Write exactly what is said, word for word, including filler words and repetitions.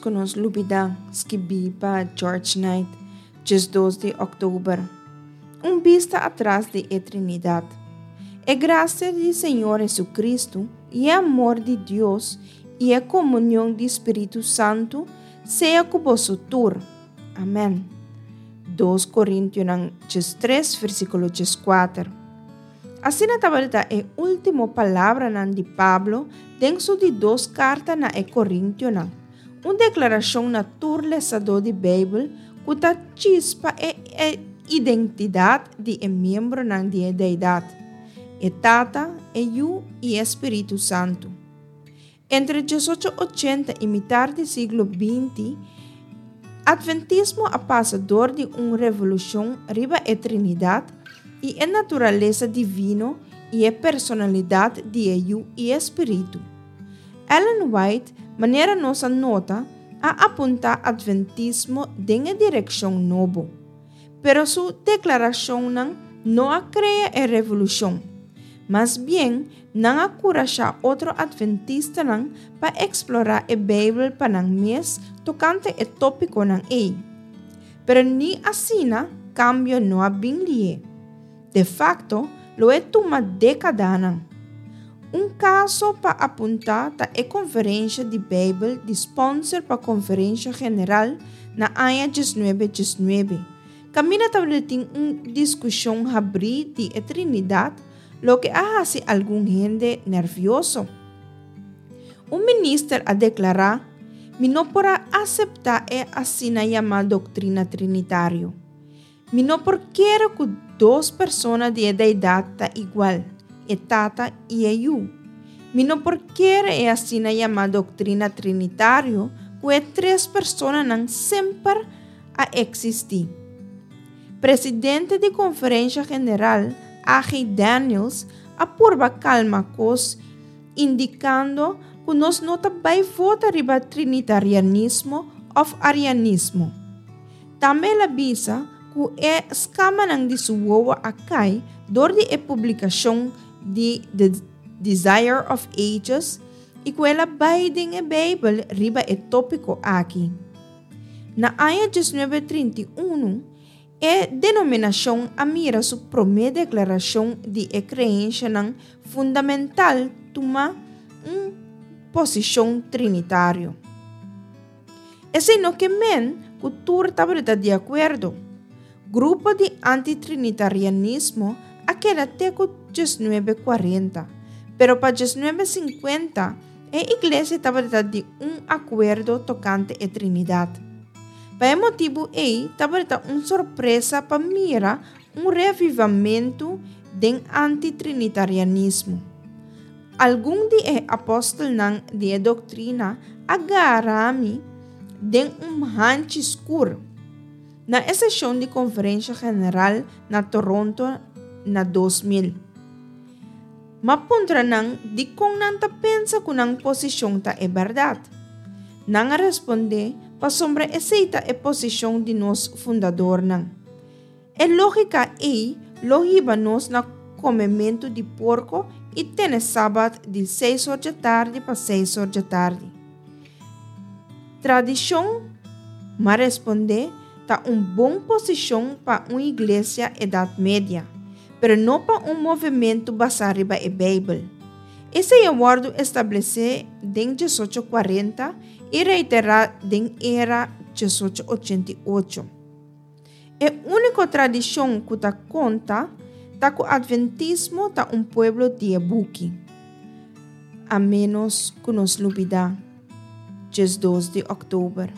ku nos lubidá, skibí pa George Knight, diesdos di òktober. Un bista atras di e Trinidat. E grasia di Señor Hesukristu i e amor di Dios i e komunion di Spiritu Santu sea ku boso tur. Amèn. Dos Korintionan diestres versíkulo dieskuater. Asina tabata e último palabranan di Pablo den su di dos karta na e Korintionan, un deklarashon na tur lesadó di Beibel ku ta chispa e identidat di e miembronan di e Deidat, e Tata, e Yu i e Spiritu Santu. Entre diesocho ochenta i mitar di siglo binti, Atventismo a pasa dor di un revolushon riba e Trinidat i e naturalesa divino i e personalidat di e Yu i e Spiritu. Ellen White, manera nos a nota, a apuntá Atventismo den e direkshon nobo. Pero su deklarashonnan no a krea e revolushon. Mas bien, nan a kurashá otro atventistanan pa eksplorá e Beibel pa nan mes tokante e tópikonan ei. Pero ni asina kambio no a bin lié. De fakto, lo e tuma dékadanan. Un kaso pa apuntá ta e konferensha di Beibel di spònser pa Konferensha General na aña diesnuebe diesnuebe, kaminda tabatin un diskushon habrí di e Trinidat, loke a hasi algun hende nèrvioso. Un minister a deklará, Mi no por a aseptá e asina yamá doktrina trinitario. Mi no por kere ku dos persona di e Deidat ta igual, e Tata i e Yu. Mi no por kere e asina yamá doktrina trinitario ku e tres personanan semper a eksistí. Presidente di Konferensha General, A G. Daniels, a purba kalma kos indikando ku nos no ta bai vota riba trinitarianismo òf arianismo. Tambe el a bisa ku e skamanan di su wowo a kai dor di e publikashon di The Desire of Ages i ku el a bai den e Beibel riba e tópiko aki. Na aña diesnuebe trinta i unu, e denominashon a mira su promé deklarashon di e kreenshanan fundamental tuma un posishon trinitario. Esei no ke men ku tur tabata di akuerdo. Grupo di antitrinitarianismo a keda te ku diesnuebe kuarenta, pero pa diesnuebe sinkuenta e iglesia tabata di un akuerdo tokante e Trinidat. Pa e motibu ei tabata un sorpresa pa mira un revivamentu den antitrinitarianismo. Algun di e apòstelnan di e doktrina a gara mi den un hanchi skur na e seshon di Konferensha General na Toronto na dos mil. M'a puntra nan dikon nan ta pensa ku nan posishon ta e bèrdat. Nan a respondé pasobra esei ta e posishon di nos fundadornan. E lógika ei lo hiba nos na komementu di porko i tene sabat di seis or djatardi pa seis or djatardi. Tradishon, m'a respondé, ta un bon posishon pa un iglesia Edat Media, pero no pa un movementu basá riba e Beibel. Esei a wòrdu establesé den diesocho kuarenta i reiterá den era diesocho ochenta i ocho. E úniko tradishon ku ta konta ta ku Atventismo ta un pueblo di e buki. A ménos ku nos lubidá, diesdos di òktober.